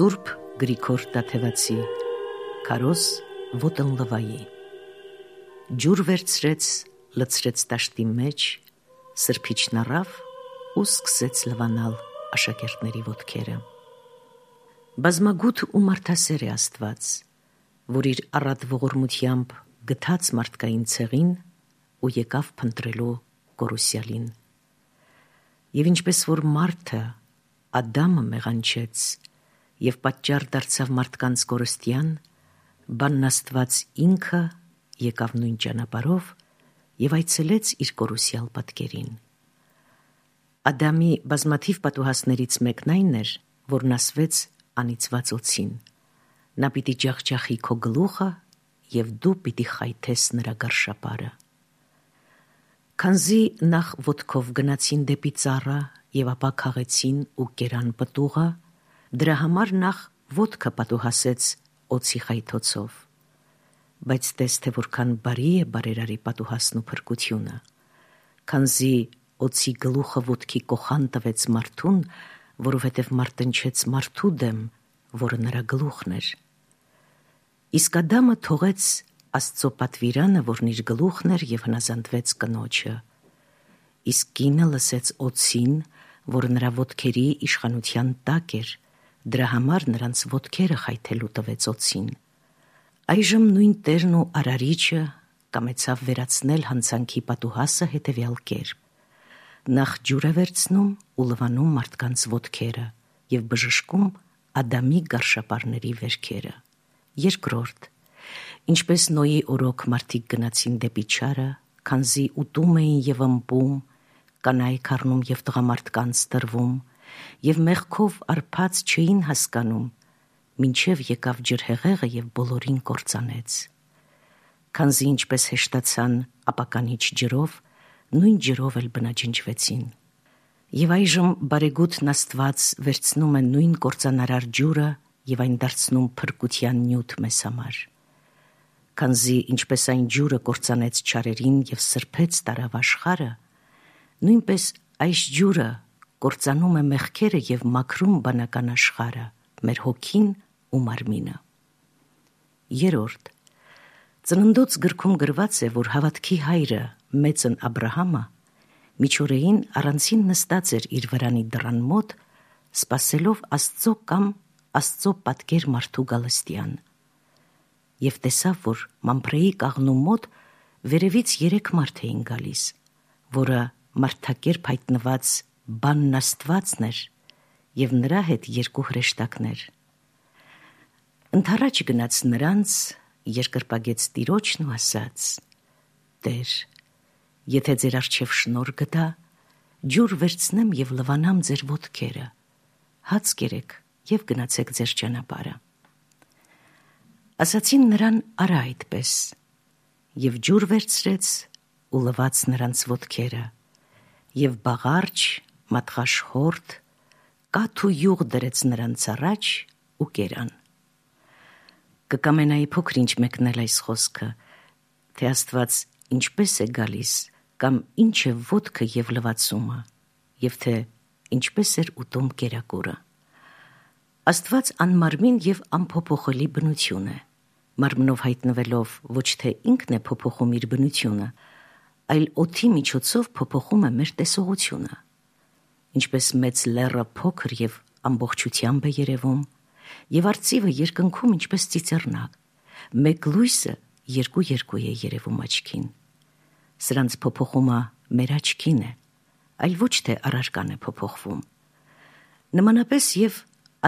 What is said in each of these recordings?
Սուրբ Գրիգոր Տաթևացի Քարոզ ոտնլվայի ջուր վերցրեց, լցրեց տաշտի մեջ, սրբիչն առավ ու սկսեց լվանալ աշակերտների ոտքերը։ Բազմագութ ու մարդասեր է Աստված, որ իր առատ ողորմությամբ գթած մարդկային ցեղին ու եկավ փնտրելու կորուսյալին։ Եվ ինչպես որ մարդը Ադամը մեղանչեց և պատճառ դարձավ մարդկանց կորստյան, բանն Աստված ինքը եկավ նույն ճանապարհով և այցելեց իր կորուսյալ պատկերին։ Ադամի բազմաթիվ պատուհասներից մեկն այն էր, որն ասվեց անիծված օձին. նա պիտի ջախջախի քո գլուխը և դու պիտի խայթես նրա գարշապարը։ Քանզի նախ ոտքով գնացին դեպի ծառը և ապա քաղեցին ու կերան պտուղը, դրա համար նախ ոտքը պատուհասեց օձի խայթոցով։ Բայց տես թե որքան բարի է բարերարի պատուհասն ու փրկությունը, քանզի օձի գլուխը ոտքի կոխան տվեց մարդուն, որովհետև մարտնչեց մարդու դեմ, որը նրա գլուխն էր։ Իսկ Ադամը թողեց Աստծո պատվիրանը, որն իր գլուխն էր, և հնազանդվեց կնոջը։ Իսկ կինը լսեց օձին, որ նրա ոտքերի իշխանության տակ էր, դրա համար նրանց ոտքերը խայթելու տվեց օձին։ Այժմ նույն Տերն ու Արարիչը կամեցավ վերացնել հանցանքի պատուհասը հետևյալ կերպ. նախ ջուր է վերցնում ու լվանում մարդկանց ոտքերը և բժշկում Ադամի գարշապարների վերքերը։ Երկրորդ, ինչպես Նոյի օրոք մարդիկ գնացին դեպի չարը, քանզի ուտում էին և ըմպում, կանայք առնում և տղամարդկանց տրվում, և մեղքով արբած չէին հասկանում, մինչև եկավ ջրհեղեղը և բոլորին կործանեց։ Քանզի ինչպես հեշտացան ապականիչ ջրով, նույն ջրով էլ բնաջնջվեցին։ Եվ այժմ բարեգութն Աստված վերցնում է նույն կործանարար ջուրը և այն դարձնում փրկության նյութ մեզ համար։ Քանզի ինչպես այն ջուրը կործանեց չարերին և սրբեց տարավ աշխարհը, նույնպես այս ջուրը կործանում է մեղքերը և մաքրում բանական աշխարհը, մեր հոգին ու մարմինը։ Երրորդ, Ծննդոց գրքում գրված է, որ հավատքի հայրը մեծն Աբրահամը միջօրեին առանցին նստած էր իր վրանի դռան մոտ, սպասելով Աստծո կամ Աստծո պատկեր մարդու գալստյան։ Եվ տեսավ, որ Մամփրեի կաղնու մոտ վերևից 3 մարդ էին գալիս, որը մարդակերպ հայտնված բանն Աստվածն էր և նրա հետ 2 հրեշտակներ։ Ընդառաջ գնաց նրանց, երկրպագեց Տիրոջն ու ասաց. «Տեր, եթե ձեր առջև շնորհ գտա, ջուր վերցնեմ և լվանամ ձեր ոտքերը, հաց կերեք և գնացեք ձեր ճանապարհը»։ Ասացին նրան արա այդպես, և ջուր վերցրեց ու լվաց նրանց ոտքերը, և բաղարջ, մատղաշ հորդ, կաթ ու յուղ դրեց նրանց առաջ ու կերան։ Կկամենայի փոքր-ինչ մեկնել այս խոսքը, թե Աստված ինչպես է գալիս կամ ինչ է ոտքը և լվացումը, և թե ինչպես էր ուտում կերակուրը։ Աստված անմարմին և անփոփոխելի բնություն է, մարմնով հայտնվելով ոչ թե ինքն է փոփոխում իր բնությունը, այլ օդի միջոցով փոփոխում է մեր տեսողությունը։ Ինչպես մեծ լեռը փոքր և ամբողջությամբ է երևում, և արծիվը երկնքում ինչպես ծիծեռնակ, մեկ լույսը երկու է երևում աչքին։ Սրանց փոփոխումը մեր աչքին է, այլ ոչ թե առարկան է փոփոխվում։ Նմանապես և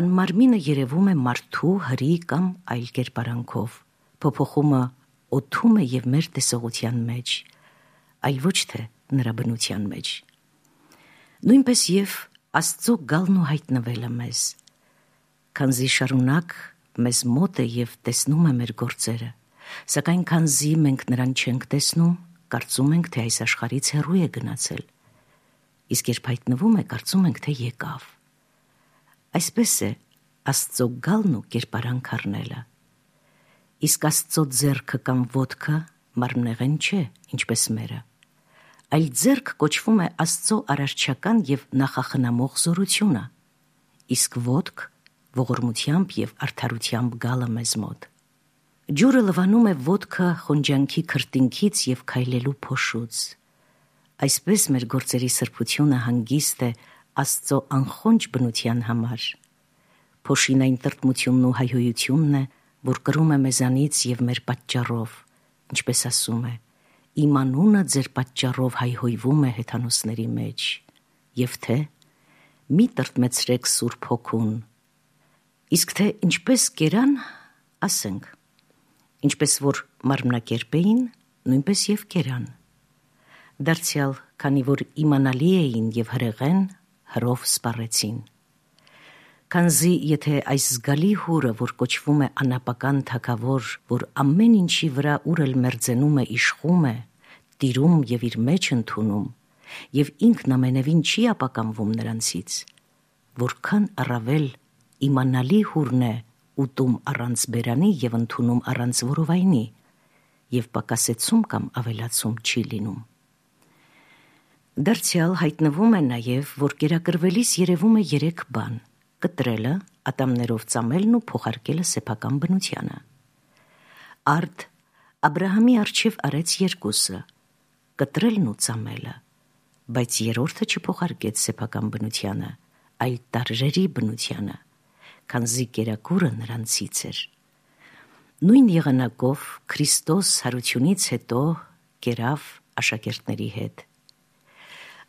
անմարմինը երևում է մարդու, հրի կամ այլ կերպարանքով, փոփոխումը օդում է և մեր տեսողության մեջ, այլ ոչ թե նրա բնության մեջ։ Նույնպես և Աստծո գալն ու հայտնվելը մեզ, քանզի շարունակ մեզ մոտ է և տեսնում է մեր գործերը, սակայն քանզի մենք նրան չենք տեսնում, կարծում ենք, թե այս աշխարհից հեռու է գնացել, իսկ երբ հայտնվում է, կարծում ենք, թե եկավ։ Այսպես է Աստծո գալն ու կերպարանք առնելը։ Իսկ Աստծո ձեռքը կամ ոտքը մարմնեղեն չէ, ինչպես մերը, այլ ձեռք կոչվում է Աստծո արարչական և նախախնամող զորությունը, իսկ ոտք ողորմությամբ եւ արդարությամբ գալը մեզ մոտ։ Ջուրը լվանում է ոտքը խոնջանքի քրտինքից եւ քայլելու փոշուց։ Այսպես մեր գործերի սրբությունը հանգիստ է Աստծո անխոնջ բնության համար։ Փոշին այն տրտմությունն ու հայհոյությունն է, որ կրում է մեզանից եւ մեր պատճառով, ինչպես ասում է. «Իմ անունը ձեր պատճառով հայհոյվում է հեթանոսների մեջ», եւ թե «Մի տրտմեցրեք Սուրբ Հոգուն»։ Իսկ թե ինչպես կերան, ասենք, ինչպես որ մարմնակերպ էին, նույնպես եւ կերան։ Դարձյալ, քանի որ իմանալի էին եւ հրեղեն, հրով սպառեցին։ Քանզի եթե այս զգալի հուրը, որ կոչվում է անապական թագավոր, որ ամեն ինչի վրա ուր էլ մերձենում է իշխում է, տիրում եւ իր մեջ ընդունում, եւ ինքն ամենևին չի ապականվում նրանցից, որքան առավել իմանալի հուրն է ուտում առանց բերանի եւ ընդունում առանց որովայնի, եւ պակասեցում կամ ավելացում չի լինում։ Դարձյալ հայտնվում է նաեւ, որ կերակրվելիս երևում է 3 բան. կտրելը, ատամներով ծամելն ու փոխարկելը սեփական բնությանը։ Արդ Աբրահամի առջև արեց երկուսը, կտրելն ու ծամելը, բայց երրորդը չփոխարկեց սեփական բնությանը, այլ տարրերի բնությանը, քանզի կերակուրը նրանցից էր։ Նույն եղանակով Քրիստոս հարությունից հետո կերավ աշակերտների հետ։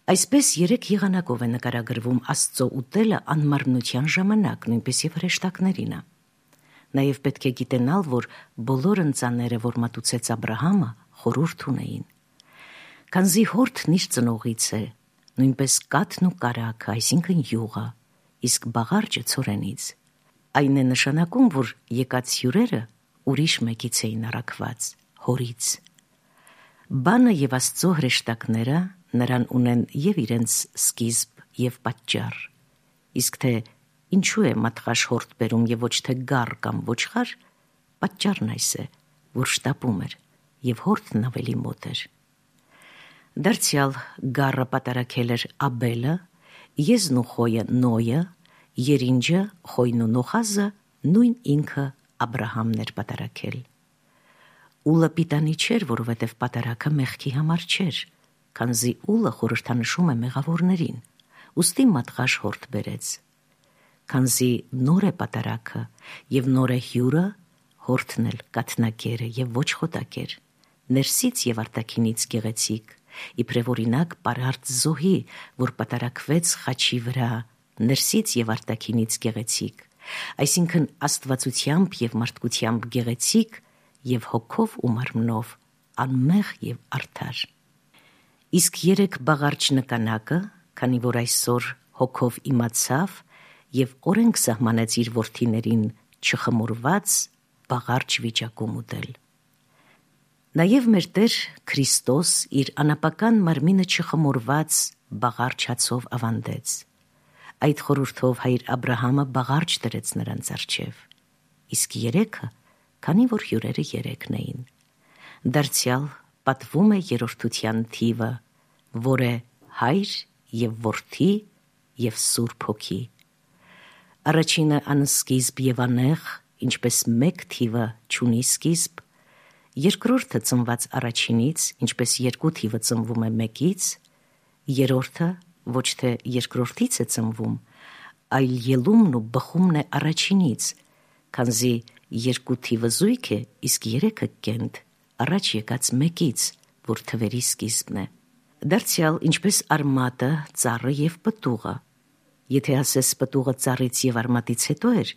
Այսպես 3 եղանակով է նկարագրվում Աստծո ուտելը անմարմնության ժամանակ, նույնպես եւ հրեշտակներինը։ Նաեւ պետք է գիտենալ, որ բոլոր ընծաները, որ մատուցեց Աբրահամը, խորհուրդ ունեին։ Քանզի հորթն իր ծնողից է, նույնպես կաթն ու կարագը, այսինքն յուղը, իսկ բաղարջը ցորենից։ Այն է նշանակում, որ եկած հյուրերը ուրիշ մեկից էին առաքված, հորից։ Բանը եւ Աստծո հրեշտակները նրան ունեն եւ իրենց սկիզբ եւ պատճառ։ Իսկ թե ինչու է մատղաշ հորթ բերում եւ ոչ թե գառ կամ ոչխար, պատճառն այս է, որ շտապում էր եւ հորթն ավելի մոտ էր։ Դարձյալ գառը պատարակել էր Աբելը, եզն ու խոյը Նոյը, երինջը, խոյն ու նոխազը նույն ինքը Աբրահամն էր պատարակել։ Ուլը պիտանի չէր, որովհետև պատարակը մեղքի համար չէր, քանզի ուլը խորհրդանշում է մեղավորներին, ուստի մատղաշ հորթ բերեց։ Քանզի նոր է պատարակը եւ նոր է հյուրը, հորթն էլ կաթնակերը եւ ոչ խոտակեր, ներսից եւ արտաքինից գեղեցիկ, իբրև օրինակ պարարտ զոհի, որ պատարակվեց խաչի վրա, ներսից եւ արտաքինից գեղեցիկ, այսինքն աստվածությամբ եւ մարդկությամբ գեղեցիկ եւ հոգով ու մարմնով անմեղ եւ արդար։ Իսկ 3 բաղարջ նկանակը, քանի որ այսօր հոգով իմացավ եւ օրենք սահմանեց իր որդիներին չխմորված բաղարջ վիճակում ուտել։ Նաեւ մեր Տեր Քրիստոս իր անապական մարմինը չխմորված բաղարջ հացով ավանդեց։ Այդ խորհրդով հայր Աբրահամը բաղարջ դրեց նրանց առջև, իսկ 3-ը, քանի որ հյուրերը 3-ն էին։ Դարձյալ պատվում է երրորդության թիվը, որ է հայր եւ որդի եւ Սուրբ Հոգի։ Առաջինը անսկիզբ եւ անեղ, ինչպես մեկ թիվը չունի սկիզբ, երկրորդը ծնված առաջինից, ինչպես 2 թիվը ծնվում է մեկից, երրորդը ոչ թե երկրորդից է ծնվում, այլ ելումն ու բխումն է առաջինից, քանզի 2 թիվը զույգ է, իսկ 3-ը կենտ, առաջ եկած մեկից, որ թվերի սկիզբն է։ Դարձյալ ինչպես արմատը, ծառը եւ պտուղը։ Եթե ասես պտուղը ծառից եւ արմատից հետո էր,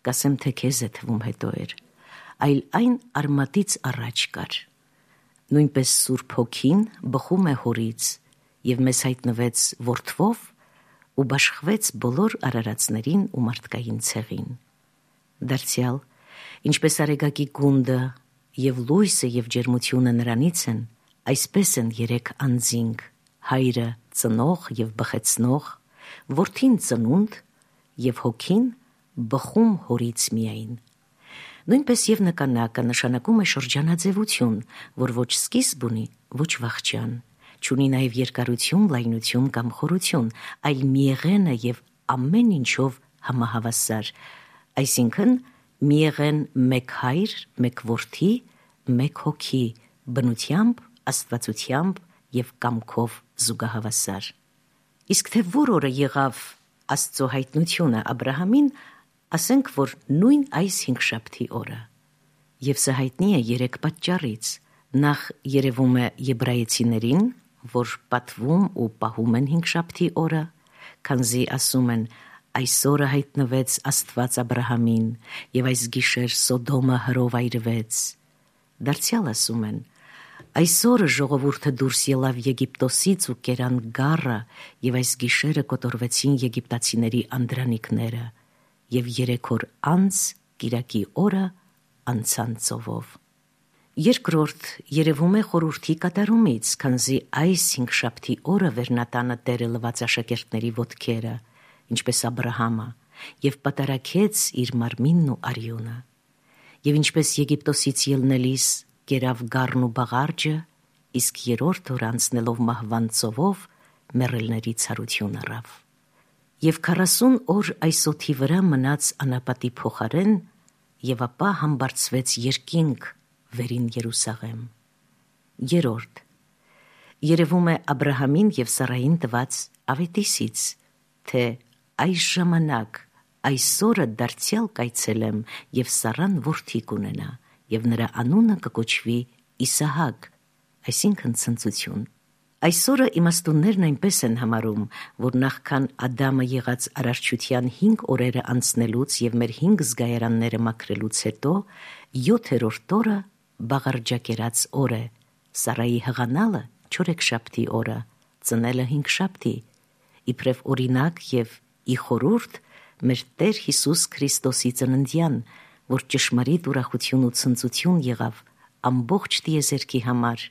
կասեմ թե քեզ է թվում հետո էր, այլ այն արմատից առաջ կար։ Նույնպես Սուրբ Հոգին բխում է հորից եւ մեզ հայտնվեց որդվով ու բաշխվեց բոլոր արարածներին ու մարդկային ցեղին։ Դարձյալ ինչպես արեգակի գունդը եւ լույսը եւ ջերմությունը նրանից են, այսպես են 3 անձինք, հայրը ծնող եւ բխեցնող, որդին ծնունդ եւ հոգին բխում հորից միայն։ Նույնպես եւ նկանակը նշանակում է շրջանաձևություն, որ ոչ սկիզբ ունի, ոչ վախճան, չունի նաեւ երկարություն, լայնություն կամ խորություն, այլ միեղեն է եւ ամեն ինչով համահավասար, Այսինքն մի եղեն մեկ հայր, մեկ որդի, մեկ հոգի, բնությամբ, աստվածությամբ և կամքով զուգահավասար։ Իսկ թե որ օրը եղավ Աստծո հայտնությունը Աբրահամին, ասենք, որ նույն այս հինգշաբթի օրը։ Եվ սա հայտնի է 3 պատճառից։ Նախ երևում է եբրայեցիներին, որ պատվում ու պահում են հինգշաբթի օրը, քանզի ասում են այսօրը հայտնվեց Աստված Աբրահամին, և այս գիշեր Սոդոմը հրով այրվեց։ Դարձյալ ասում են այսօրը ժողովուրդը դուրս ելավ Եգիպտոսից ու կերան գառը, և այս գիշերը կոտորվեցին եգիպտացիների անդրանիկները, և 3 օր անց կիրակի օրը անցան ծովով։ Երկրորդ երևում է խորհրդի կատարումից, քանզի այս հինգշաբթի օրը վերնատանը Տերը լվաց աշակերտների ոտքերը, ինչպես Աբրահամը, և պատարակեց իր մարմինն ու արյունը։ Եվ ինչպես Եգիպտոսից ելնելիս կերավ գառն ու բաղարջը, իսկ 3-րդ օր անցնելով մահվան ծովով մեռելների ցարություն առավ։ Եվ 40 օր այս օդի վրա մնաց անապատի փոխարեն, և ապա համբարձվեց երկինք վերին Երուսաղեմ։ Երրորդ երևում է Աբրահամին և Սարային տված ավետիսից, թե այս ժամանակ այսօրը դարձյալ կայցելեմ, և Սարան որդի կունենա, և նրա անունը կկոչվի Իսահակ, այսինքն ցնծություն։ Այսօրը իմաստուններն այնպես են համարում, որ նախքան Ադամը եղած արարչության 5 օրերը անցնելուց և մեր 5 զգայարանները մաքրելուց հետո 7-րդ օրը բաղարջակերած օր է, Սարայի հղանալը չորեքշաբթի օրը, ծնելը հինգշաբթի, իբրև օրինակ և ի խորհուրդ մեր Տեր Հիսուս Քրիստոսի ծննդյան, որ ճշմարիտ ուրախություն ու ցնծություն եղավ ամբողջ տիեզերքի համար,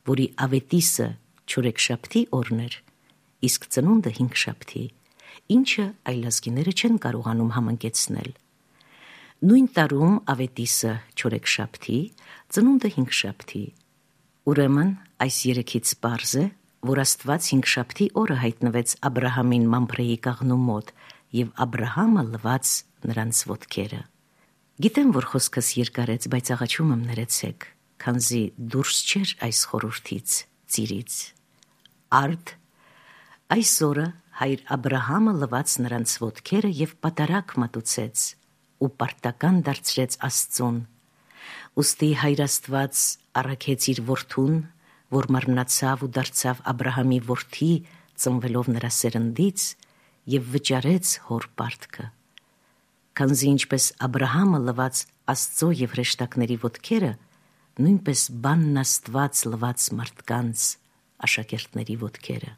որի ավետիսը չորեքշաբթի օրն էր, իսկ ծնունդը հինգշաբթի, ինչը այլազգիները չեն կարողանում համընկեցնել։ Նույն տարում ավետիսը չորեքշաբթի, ծնունդը հինգշաբթի։ Ուրեմն այս 3-ից պարզ է, որ Աստված հինգշաբթի օրը հայտնվեց Աբրահամին Մամփրեի կաղնու մոտ, և Աբրահամը լվաց նրանց ոտքերը։ Գիտեմ, որ խոսքս երկարեց, բայց աղաչում եմ ներեցեք, քանզի դուրս չէր այս խորհրդից, ծիրից։ Արդ այս օրը հայր Աբրահամը լվաց նրանց ոտքերը և պատարակ մատուցեց ու պարտական դարձրեց Աստծուն։ Ուստի հայր Աստված առաքեց իր որդուն, որ մարմնացավ ու դարձավ Աբրահամի որդի, ծնվելով նրա սերնդից, և վճարեց հոր պարտքը։ Քանզի ինչպես Աբրահամը լվաց Աստծո և հրեշտակների ոտքերը, նույնպես բանն Աստված լվաց մարդկանց աշակերտների ոտքերը։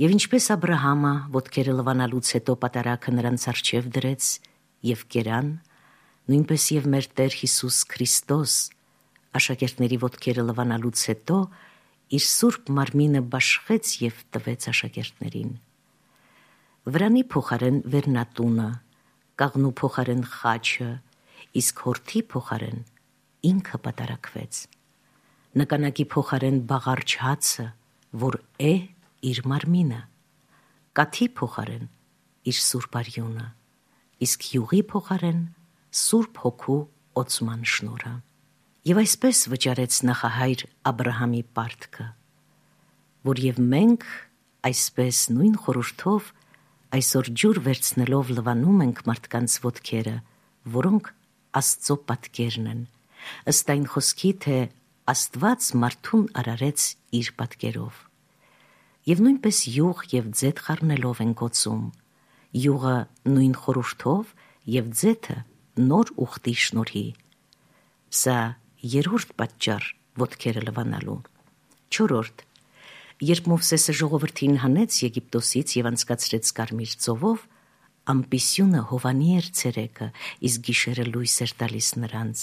Եվ ինչպես Աբրահամը ոտքերը լվանալուց հետո պատարակը նրանց առջև դրեց և կերան, նույնպես և մեր Տեր Հիսուս Քրիստոս աշակերտների ոտքերը լվանալուց հետո իր սուրբ մարմինը բաշխեց և տվեց աշակերտներին։ Վրանի փոխարեն վերնատունը, կաղնու փոխարեն խաչը, իսկ հորթի փոխարեն ինքը պատարակվեց։ Նկանակի փոխարեն բաղարջ հացը, որ է իր մարմինը, կաթի փոխարեն իր սուրբ արյունը, իսկ յուղի փոխարեն Սուրբ Հոգու օծման շնորհը։ Եվ այսպես վճարեց նախահայր Աբրահամի պարտքը, որ և մենք այսպես նույն խորհրդով այսօր ջուր վերցնելով լվանում ենք մարդկանց ոտքերը, որոնք Աստծո պատկերն են, ըստ այն խոսքի, թե Աստված մարդուն արարեց իր պատկերով։ Եվ նույնպես յուղ և ձեթ խառնելով ենք օծում, յուղը նույն խորհրդով և ձեթը նոր ուխտի շնորհի։ Սա երրորդ պատճառ ոտքերը լվանալու։ Չորրորդ, երբ Մովսեսը ժողովրդին հանեց Եգիպտոսից և անցկացրեց Կարմիր ծովով, ամպիսյունը հովանի էր ցերեկը, իսկ գիշերը լույս էր տալիս նրանց,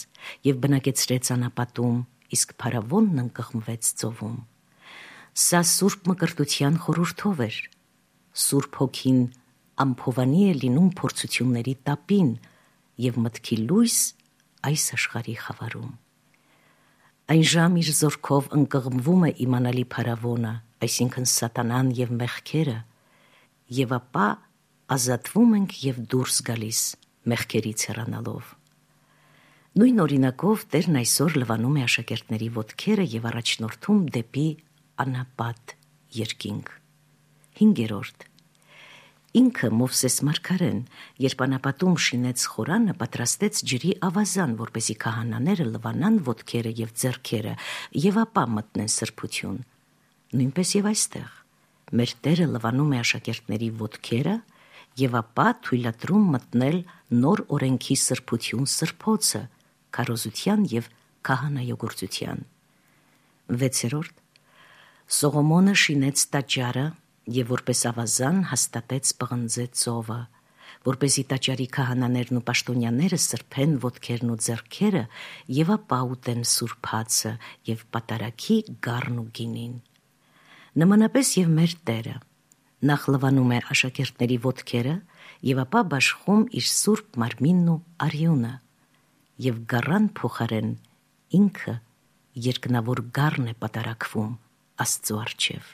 և բնակեցրեց անապատում, իսկ փարավոնն ընկղմվեց ծովում։ Սա սուրբ մկրտության խորհրդով էր։ Սուրբ Հոգին ամփովանի է լինում փորձությունների տապին և մտքի լույս այս աշխարհի խավարում։ Այն ժամ իր զորքով ընկղմվում է իմանալի փարավոնը, այսինքն սատանան և մեղքերը, և ապա ազատվում ենք և դուրս գալիս մեղքերից հեռանալով։ Նույն օրինակով Տերն այսօր լվանում է աշակերտների ոտքերը եւ առաջնորդում դեպի անապատ երկինք։ 5. Ինքը Մովսես մարգարեն, երբ անապատում շինեց խորանը, պատրաստեց ջրի ավազան, որպեսզի քահանաները լվանան ոտքերը եւ ձեռքերը եւ ապա մտնեն սրբություն։ Նույնպես եւ այստեղ մեր Տերը լվանում է աշակերտների ոտքերը եւ ապա թույլատրում մտնել նոր օրենքի սրբություն սրբոցը, քարոզության եւ քահանայոգործության։ 6. Սողոմոնը շինեց տաճարը եւ որպես ավազան հաստատեց պղնձե ծովը, որպեսզի տաճարի քահանաներն ու պաշտոնյաները սրբեն ոտքերն ու ձեռքերը եւ ապա ուտեն սուրբ հացը եւ պատարագի գառն ու գինին։ Նմանապես եւ մեր Տերը նախ լվանում է աշակերտների ոտքերը եւ ապա բաշխում իր սուրբ մարմինն ու արյունը եւ գառան փոխարեն ինքը երկնավոր գառն է պատարագվում Աստծո առջև։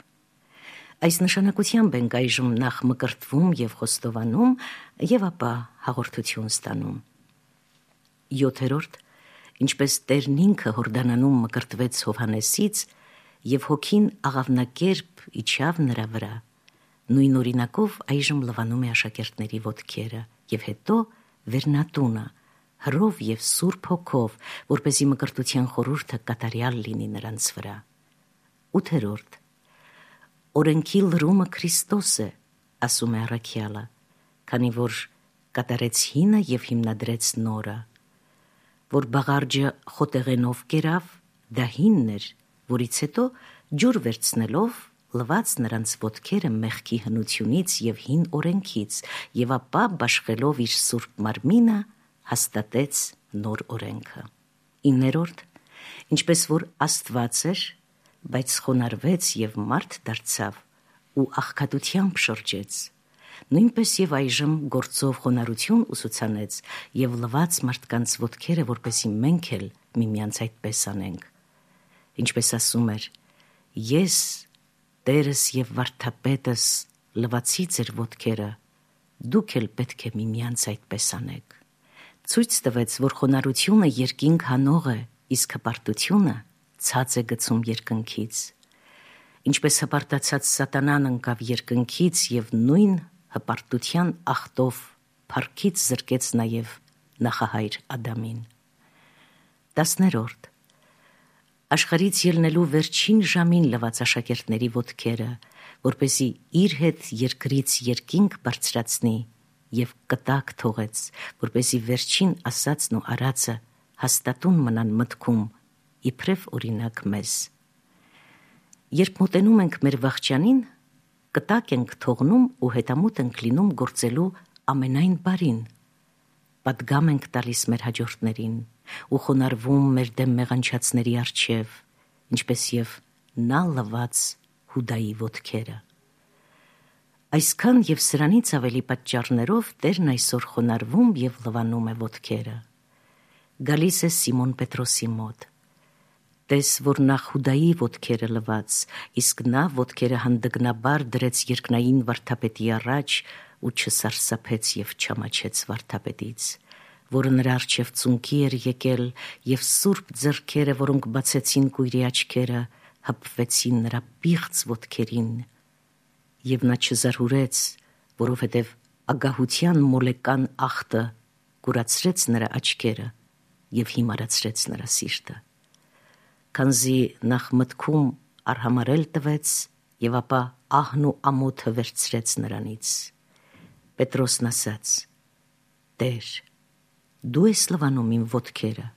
Այս նշանակությամբ ենք այժմ նախ մկրտվում եւ խոստովանում եւ ապա հաղորդություն ստանում։ 7. Ինչպես Տերն ինքը Հորդանանում մկրտվեց Հովհաննեսից եւ հոգին աղավնակերպ իջավ նրա վրա, նույն օրինակով այժմ լվանում է աշակերտների ոտքերը եւ հետո վերնատունը հրով եւ սուրբ հոգով, որպեսզի մկրտության խորհուրդը կատարյալ լինի նրանց վրա։ 8. Օրենքի լրումը Քրիստոս է, ասում է առաքյալը, քանի որ կատարեց հինը եւ հիմնադրեց նորը, որ բաղարջը խոտեղենով կերավ, դա հինն էր, որից հետո ջուր վերցնելով լված նրանց ոտքերը մեղքի հնությունից եւ հին օրենքից եւ ապա բաշխելով իր սուրբ մարմինը հաստատեց նոր օրենքը։ 9. Ինչպես որ Աստված էր, բայց խոնարհվեց եւ մարդ դարձավ ու աղքատությամբ շրջեց, նույնպես եւ այժմ գործով խոնարհություն ուսուցանեց եւ լված մարդկանց ոտքերը, որպեսզի մենք էլ միմյանց այդպես անենք։ Ինչպես ասում էր. ես Տերս եւ վարդապետս լվացի ձեր ոտքերը, դուք էլ պետք է միմյանց այդպես անեք։ Ցույց տվեց, որ խոնարհությունը երկինք հանող է, իսկ հպարտությունը ցած է գցում երկնքից։ Ինչպես հպարտացած սատանան ընկավ երկնքից եւ նույն հպարտության ախտով փառքից զրկեց նաեւ նախահայր Ադամին։ 10. Աշխարհից ելնելու վերջին ժամին լված աշակերտների ոտքերը, որպեսզի իր հետ երկրից երկինք բարձրացնի եւ կտակ թողեց, որպեսզի վերջին ասածն ու արածը հաստատուն մնան մտքում, իբրև օրինակ մեզ։ Երբ մոտենում ենք մեր վախճանին, կտակ ենք թողնում ու հետամուտ ենք լինում գործելու ամենայն բարին, պատգամ ենք տալիս մեր հաջորդներին ու խոնարհվում մեր դեմ մեղանչածների առջև, ինչպես եւ նա լված Հուդայի ոտքերը։ Այսքան եւ սրանից ավելի պատճառներով Տերն այսօր խոնարհվում եւ լվանում է ոտքերը։ Գալիս է Սիմոն Պետրոսի մոտ։ Տես, որ նախ Հուդայի ոտքերը լված, իսկ նա ոտքերը հանդգնաբար դրեց երկնային վարդապետի առաջ ու չսարսափեց եւ չամաչեց վարդապետից, որը նրա առջև ծունկի էր եկել, եւ սուրբ ձեռքերը, որոնք բացեցին կույրի աչքերը, հպվեցին նրա պիղծ ոտքերին, եւ նա չզարհուրեց, որովհետեւ ագահության մոլեկան ախտը կուրացրեց նրա աչքերը եւ հիմարացրեց նրա սիրտը, քանզի նախ մտքում արհամարել տվեց եւ ապա ահն ու ամոթը վերցրեց նրանից։ Պետրոսն ասաց. Տեր, դու ես լվանում իմ ոտքերը,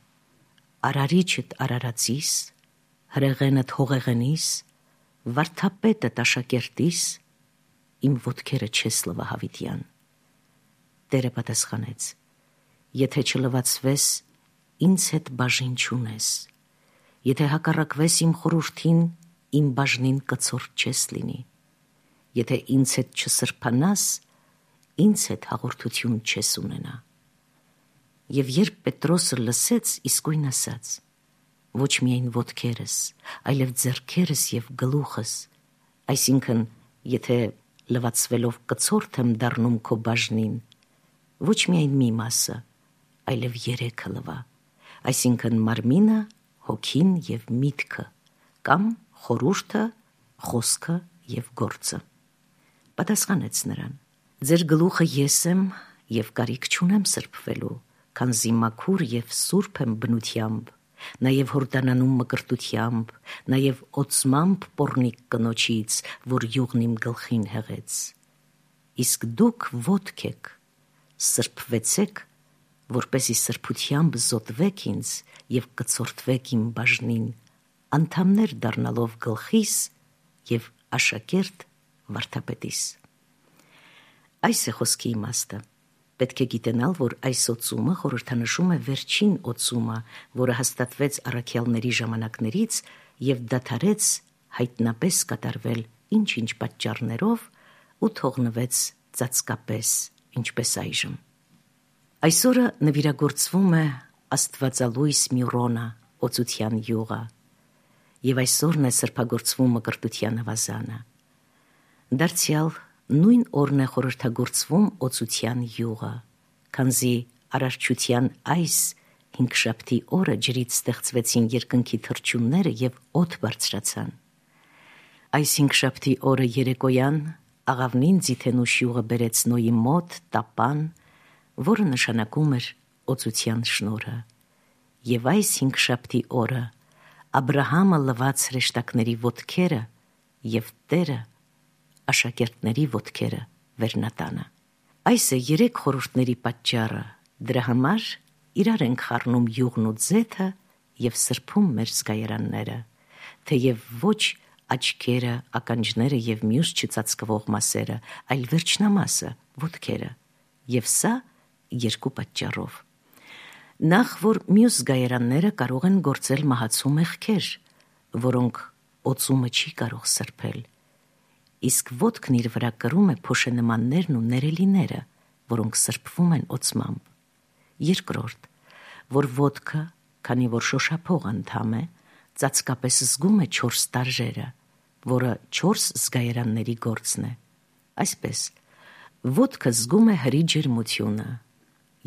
արարիչդ արարածիս, հրեղենդ հողեղենիս, վարդապետդ աշակերտիս, իմ ոտքերը չես լվա հավիտյան։ Տերը պատասխանեց. եթե չլվացվես, ինձ հետ բաժին չունես, եթե հակառակվես իմ խորհրդին, իմ բաժնին կցորդ չես լինի, եթե ինձ հետ չսրբանաս, ինձ հետ հաղորդություն չես ունենա։ Եվ երբ Պետրոսը լսեց, իսկույն ասաց. ոչ միայն ոտքերս, այլև ձեռքերս եւ գլուխս, այսինքն, եթե լվացվելով կցորդ եմ դառնում քո բաժնին, ոչ միայն մի մասը, այլև երեքը լվա, այսինքն մարմինը, հոգին և միտքը, կամ խորհուրդը, խոսքը և գործը։ Պատասխանեց նրան. ձեր գլուխը ես եմ և կարիք չունեմ սրբվելու, քանզի մաքուր և սուրբ եմ բնությամբ, նաև հորդանանում մկրտությամբ, նաև օծմամբ պոռնիկ կնոջից, որ յուղն իմ գլխին հեղեց։ Իսկ դուք ոտք եք, սրբվեցեք, որպեսզի սրբությամբ զոթվեք ինձ և կցորդվեք իմ բաժնին, անդամներ դառնալով գլխիս և աշակերտ վարդապետիս։ Այս է խոսքի իմաստը։ Պետք է գիտենալ, որ այս օծումը խորհրդանշում է վերջին օծումը, որը հաստատվեց առաքյալների ժամանակներից և դադարեց հայտնապես կատարվել ինչ-ինչ պատճառներով ու թողնվեց ծածկապես, ինչպես այժմ։ Այսօրը նվիրագործվում է աստվածալույս Միրոնը, օծության յուղը, և այսօրն է սրբագործվում մկրտության ավազանը։ Դարձյալ նույն օրն է խորհրդագործվում օծության յուղը, քանզի արարչության այս հինգշաբթի օրը ջրից ստեղծվեցին երկնքի թռչունները և օդ բարձրացան։ Այս հինգշաբթի օրը երեկոյան աղավնին ձիթենուշ յուղը բերեց Նոյի մոտ տապան, որը նշանակում էր օծության շնորհը, և այս հինգշաբթի օրը Աբրահամը լվաց հրեշտակների ոտքերը և Տերը աշակերտների ոտքերը վերնատանը։ Այս է երեք խորհուրդների պատճառը, դրա համար իրար ենք խառնում յուղն ու ձեթը և սրբում մեր զգայարանները, թեև ոչ աչքերը, ականջները և մյուս չծածկվող մասերը, այլ վերջնամասը, ոտքերը, և սա երկու պատճառով։ Նախ, որ մյուս զգայարանները կարող են գործել մահացու մեղքեր, որոնք օծումը չի կարող սրբել, իսկ ոտքն իր վրա կրում է փոշենմաններն ու ներելիները, որոնք սրբվում են օծմամբ։ Երկրորդ, որ ոտքը, քանի որ շոշափող անդամ է, ծածկապես զգում է 4 տարժերը, որը 4 զգայարանների գործն է։ Այսպես, ոտքը զգում է հրի ջերմությունը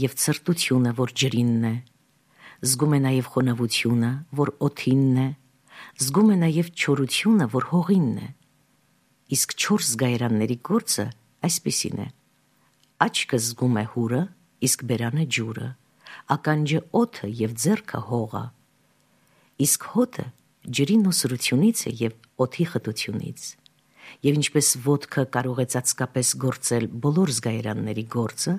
և ցրտությունը, որ ջրինն է, զգում է նաև խոնավությունը, որ օդինն է, զգում է նաև չորությունը, որ հողինն է։ Իսկ 4 զգայարանների գործը այսպիսին է. աչքը զգում է հուրը, իսկ բերանը ջուրը, ականջը օդը և ձեռքը հողը, իսկ հոտը ջրի նոսրությունից է և օդի խտությունից։ Եվ ինչպես ոտքը կարող է ծածկապես գործել բոլոր զգայարանների գործը,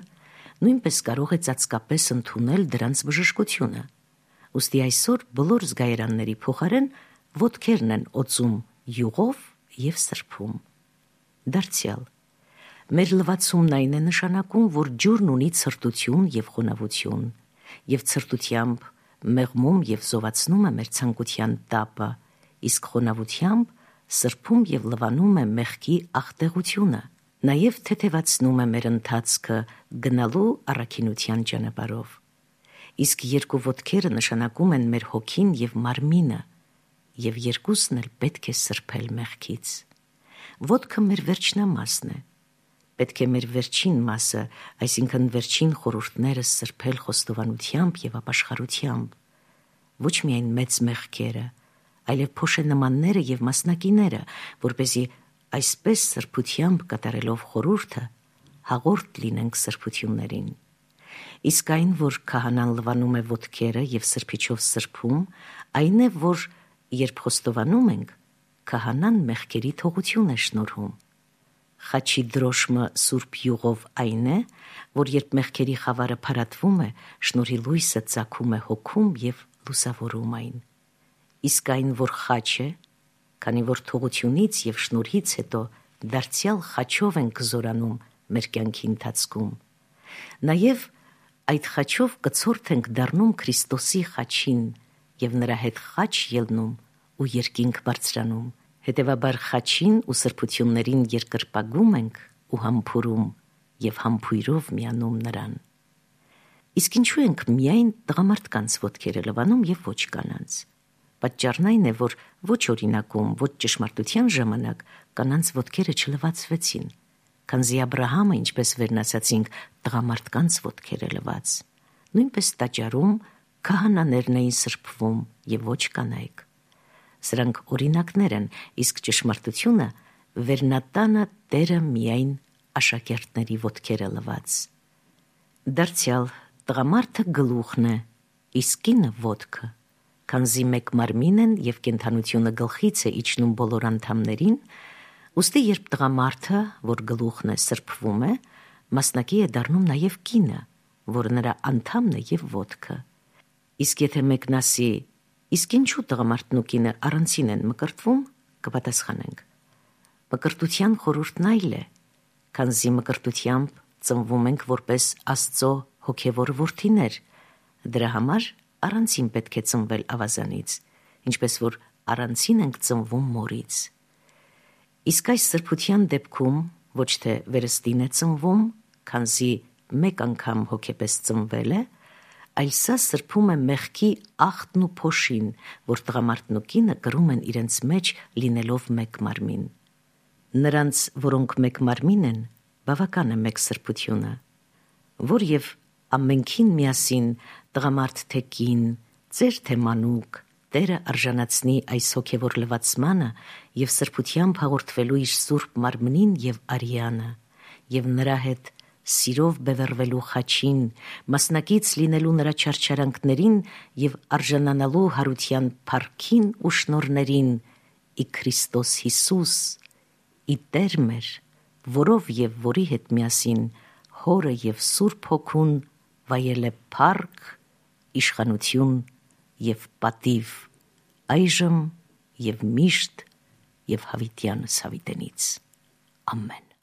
նույնպես կարող է ծածկապես ընդունել դրանց բժշկությունը։ Ուստի այսօր բոլոր զգայարանների փոխարեն ոտքերն են օծում յուղով և սրբում։ Դարձյալ, մեր լվացումն այն է նշանակում, որ ջուրն ունի ցրտություն և խոնավություն, և ցրտությամբ մեղմում և զովացնում է մեր ցանկության տապը, իսկ խոնավությամբ սրբում և լվանում է մեղքի աղտեղությունը, նաև թեթևացնում է մեր ընթացքը գնալու առաքինության ճանապարհով։ Իսկ երկու ոտքերը նշանակում են մեր հոգին և մարմինը, և երկուսն էլ պետք է սրբել մեղքից։ Ոտքը մեր վերջնամասն է։ Պետք է մեր վերջին մասը, այսինքն վերջին խորհուրդները սրբել խոստովանությամբ և ապաշխարությամբ, ոչ միայն մեծ մեղքերը, այլև փոշենմանները և մասնակիները, որպեսզի այսպես սրբությամբ կատարելով խորհուրդը հաղորդ լինենք սրբություններին։ Իսկ այն, որ քահանան լվանում է ոտքերը և սրբիչով սրբում, այն է, որ երբ խոստովանում ենք, քահանան մեղքերի թողություն է շնորհում։ Խաչի դրոշմը սուրբ յուղով այն է, որ երբ մեղքերի խավարը փարատվում է, շնորհի լույսը ծագում է հոգում և լուսավորում այն։ Իսկ այն, որ խաչ է, քանի որ թողությունից և շնորհից հետո դարձյալ խաչով ենք զորանում մեր կյանքի ընթացքում, նաև այդ խաչով կցորդ ենք դառնում Քրիստոսի խաչին և նրա հետ խաչ ելնում ու երկինք բարձրանում։ Հետևաբար խաչին ու սրբություններին երկրպագում ենք ու համբուրում և համբույրով միանում նրան։ Իսկ ինչու ենք միայն տղամարդկանց ոտքերը լվանում և ոչ կանանց։ Պատճառն այն է, որ ոչ օրինակում, ոչ ճշմարտության ժամանակ կանանց ոտքերը չլվացվեցին, քանզի Աբրահամը, ինչպես վերնացածինք, տղամարդկանց ոտքեր է լված, նույնպես տաճարում քահանաներն էին սրբվում եւ ոչ կանայք։ Սրանք օրինակներ են, իսկ ճշմարտությունը վերնատանը Տերը միայն աշակերտների ոտքերը լված։ Դարձյալ տղամարդը գլուխն է, իսկ կինը ոտքը, քանզի մեկ մարմին են եւ կենդանությունը գլխից է իջնում բոլոր անդամներին, ուստի երբ տղամարդը, որ գլուխն է, սրբվում է, մասնակի է դառնում նաեւ կինը, որ նրա անդամն է եւ ոտքը։ Իսկ եթե մեկն ասի, իսկ ինչու տղամարդն ու կինը առանցին են մկրտվում, կպատասխանենք. մկրտության խորհուրդն այլ է, քանզի մկրտությամբ ծնվում ենք որպես Աստծո հոգևոր որդիներ, դրա համար առանցին պետք է ծնվել ավազանից, ինչպես որ առանցին ենք ծնվում մորից։ Իսկ այս սրբության դեպքում ոչ թե վերստին է ծնվում, քանզի մեկ անգամ հոգեպես ծնվել է, այլ սա սրբում է մեղքի աղտն ու փոշին, որ տղամարդն ու կինը կրում են իրենց մեջ լինելով մեկ մարմին։ Նրանց, որոնք մեկ մարմին են, բավական է մեկ սրբությունը, որ եւ ամենքին միասին տղամարդ թե կին, ծեր թե մանուկ, Տերը արժանացնի այս հոգևոր լվացմանը եւ սրբությամբ հաղորդվելու իր սուրբ մարմնին եւ արյանը, եւ նրա հետ սիրով բևեռվելու խաչին, մասնակից լինելու նրա չարչարանքներին եւ արժանանալու հարության փառքին ու շնորհներին ի Քրիստոս Հիսուս, ի Տեր մեր, որով եւ որի հետ միասին Հորը եւ Սուրբ Հոգուն վայել է փառք, իշխանություն եւ պատիվ, այժմ եւ միշտ եւ հավիտյանս հավիտենից։ Ամեն։